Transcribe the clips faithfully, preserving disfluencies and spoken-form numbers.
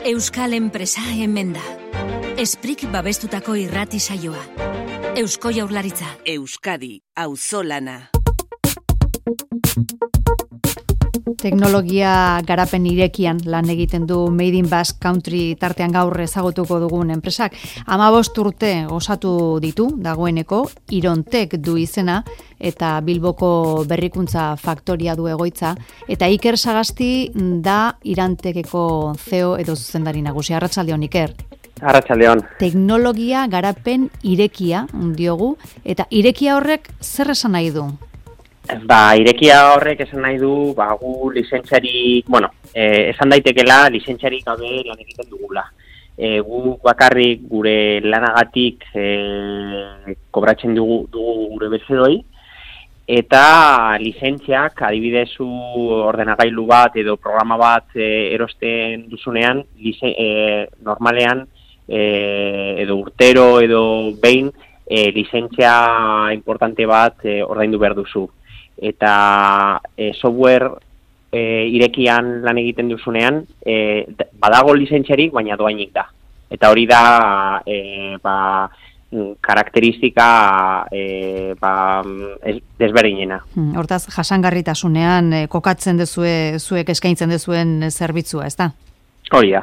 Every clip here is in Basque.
Euskal enpresa hemen da. Esprik babestutako irrati saioa. Eusko Jaurlaritza. Euskadi, auzolana. Teknologia garapen irekian lan egiten du Made in Basque Country tartean gaur ezagutuko dugun enpresak. hamabost urte osatu ditu dagoeneko, Irontek du izena eta Bilboko berrikuntza faktoria du egoitza, eta Iker Sagasti da Irantekeko C E O edo zuzendari nagusi. Arratsaldeon, Iker. Arratsaldeon. Teknologia garapen irekia diogu, eta irekia horrek zer esan nahi du? Ba, irekia horrek esan nahi du, ba, gu lizentziarik, bueno, eh, esan daitekela lizentziarik gabe lan egiten dugula. E, gu bakarrik gure lanagatik e, kobratzen dugu, dugu gure bezeroi, eta lizentziak, adibidezu ordenagailu bat edo programa bat e, erosten duzunean, lize, e, normalean, e, edo urtero edo behin, e, lizentzia importante bat e, ordaindu behar duzu. Eta e, software e, irekian lan egiten duzunean, e, badago lizentziarik, baina doainik da. Eta hori da e, ba, karakteristika e, ba, desberdinena. Hortaz, jasangarritasunean e, kokatzen dezue, zuek eskaintzen dezuen zerbitzua, ez da? Hori da.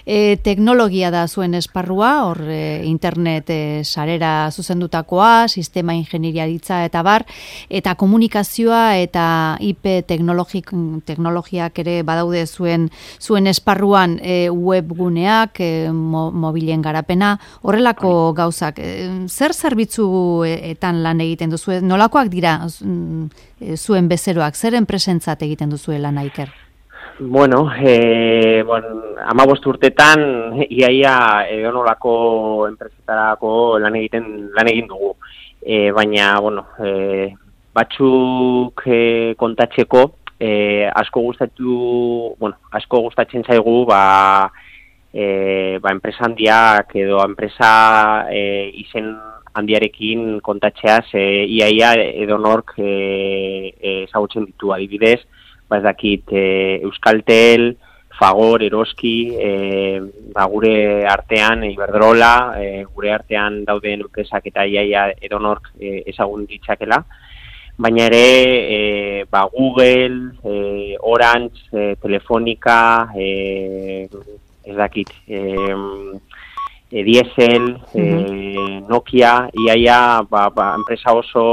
E, teknologia da zuen esparrua, hor e, internet e, sarera zuzendutakoa, sistema ingeniaritza eta bar, eta komunikazioa eta I P teknologiak ere badaude zuen zuen esparruan, e, webguneak, e, mo, mobilen garapena, horrelako gauzak. E, zer zerbitzuetan lan egiten duzu? Nolakoak dira zuen bezeroak? Zer enpresentzat egiten duzu lan, Iker? Bueno, eh, bueno, hamabost urtetan iaia edonolako enpresetarako lan egiten lan egin dugu. E, baina, bueno, e, batzuk e, kontatzeko e, asko gustatu, bueno, asko gustatzen zaigu, ba, e, ba enpresa handiak edo enpresa e, izen handiarekin kontatzeaz, e, iaia edonork e, e, ezagutzen ditu, adibidez. Ez dakit, e, Euskaltel, Fagor, Eroski, e, ba, gure artean, Iberdrola, e, gure artean dauden enpresak eta iaia edonork e, ezagun ditzakela. Baina ere, e, ba, Google, e, Orange, e, Telefonica, e, ez dakit, e, e, Diesel, e, Nokia, iaia ba, ba, enpresa oso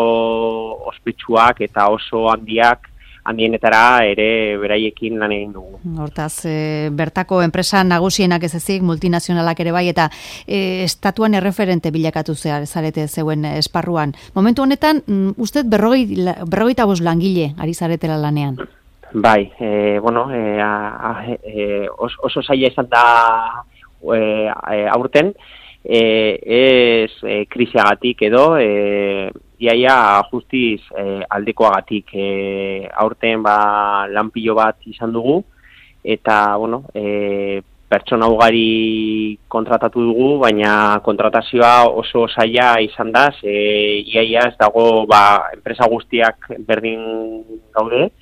ospetsuak eta oso handiak, handienetara ere beraiekin lan egin dugu. Hortaz, e, bertako enpresa nagusienak ez ezik, multinazionalak ere bai, eta e, estatuan erreferente bilakatu zehar, zarete zeuen esparruan. Momentu honetan, mm, uste berrogei, berrogeita bost langile ari zaretela lanean? Bai, e, bueno, e, a, a, e, os, oso zaila izan da e, aurten, e, ez e, krisiagatik edo, e, iaia justiz eh, aldekoagatik eh, aurten ba, lanpilo bat izan dugu, eta bueno, eh, pertsona ugari kontratatu dugu, baina kontratazioa oso zaila izan da, ze iaia ez dago ba, enpresa guztiak berdin gaude,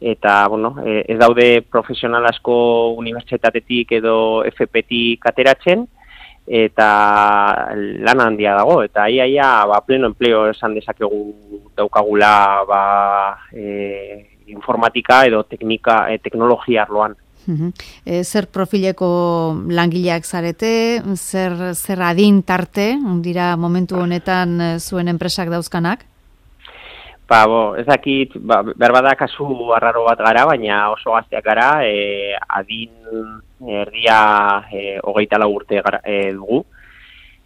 eta bueno, eh, ez daude profesional asko unibertsitatetik edo F P-tik ateratzen, eta lan handia dago, eta iaia ba, pleno empleo esan dezakegu daukagula ba, e, informatika edo teknika, e, teknologia arloan. Uh-huh. E, zer profileko langileak zarete, zer, zer adin tarte, dira momentu honetan zuen enpresak dauzkanak? Ba, bo, ez dakit, ba, berbada kasu arraro bat gara, baina oso gazteak gara, e, adin erdia e, hogeita lau urte gara, e, dugu.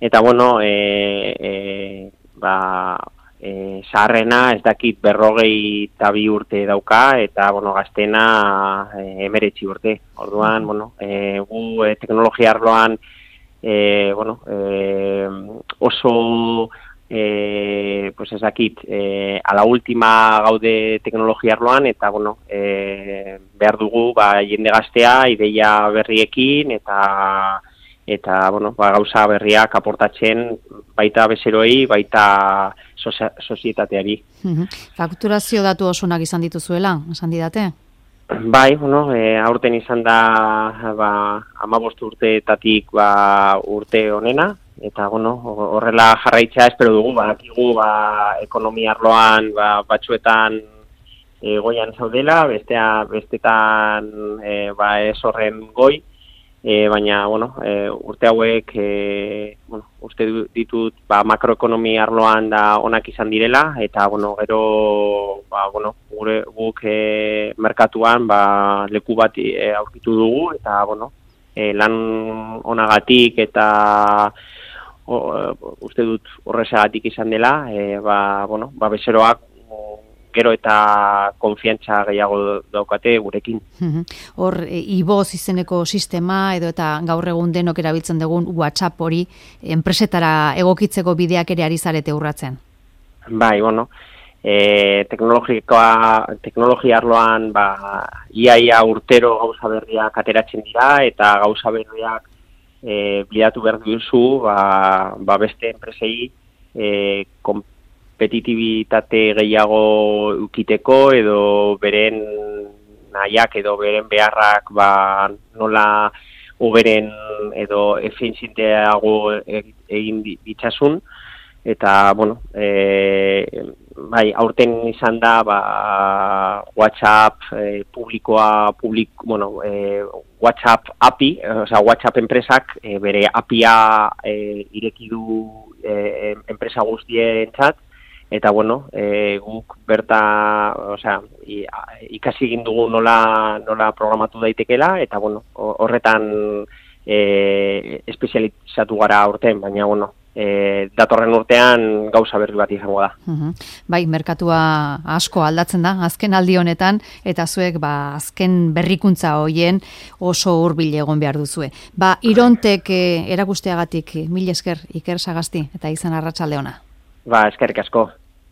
Eta, bueno, e, e, ba, e, zaharrena ez dakit berrogei eta bi urte dauka, eta, bueno, gaztena e, emeretzi urte. Orduan, bueno, e, gu e, teknologia arloan, e, bueno, e, oso... E, pues ez dakit, e, a la última gaude teknologia arloan, eta bueno, e, behar dugu ba, jende gaztea, ideia berriekin, eta eta bueno, ba, gauza berriak aportatzen baita bezeroi, baita sozietateari. Fakturazio datu osonak izan dituzuela, esan didate? Bai, bueno, e, aurten izan da ba, hamabost urteetatik ba, urte honena, eta bueno, horrela jarraitzea espero dugu, badakigu ba, ekonomia arloan ba, batzuetan e, goian zaudela, bestea, bestetan e, ba, ez horren goi, e, baina bueno, e, urte hauek e, bueno, uste ditut ba, makroekonomia arloan da onak izan direla, eta bueno, gero ba, bueno, gure guk e, merkatuan ba, leku bat e, aurkitu dugu, eta bueno, e, lan onagatik eta o, uste dut horrezagatik izan dela, e, ba, bueno, ba, bezeroak gero eta konfiantza gehiago daukate gurekin. Hor, e, iboz izeneko sistema edo eta gaur egun denok erabiltzen dugun WhatsApp hori enpresetara egokitzeko bideak ere ari zarete urratzen. Bai, bueno, e, teknologikoa, teknologia arloan ba, iaia urtero gauza berriak ateratzen dira, eta gauza berriak e, bilatu behar duzu ba, ba beste enpresei e, kompetitibitate gehiago ukiteko edo beren nahiak edo beren beharrak ba, nola hoberen edo efizienteago egin ditzasun, eta bueno, e, bai, aurten izan da ba, WhatsApp e, publikoa, publik, bueno, e, WhatsApp A P I, osea WhatsApp enpresak e, bere A P I-a e, ireki du e, enpresa guztientzat, eta bueno, e, guk berta, osea, ikasi egin dugu nola, nola programatu daitekela, eta bueno, horretan e, espezializatu gara aurten, baina bueno, e, datorren urtean gauza berri bat izango da. Uh-huh. Bai, merkatua asko aldatzen da, azken aldi honetan, eta zuek ba, azken berrikuntza hoien oso hurbil egon behar duzue. Ba, Irontek e, erakusteagatik mil esker Iker Sagasti, eta izan arratsalde ona. Ba, eskerrik asko.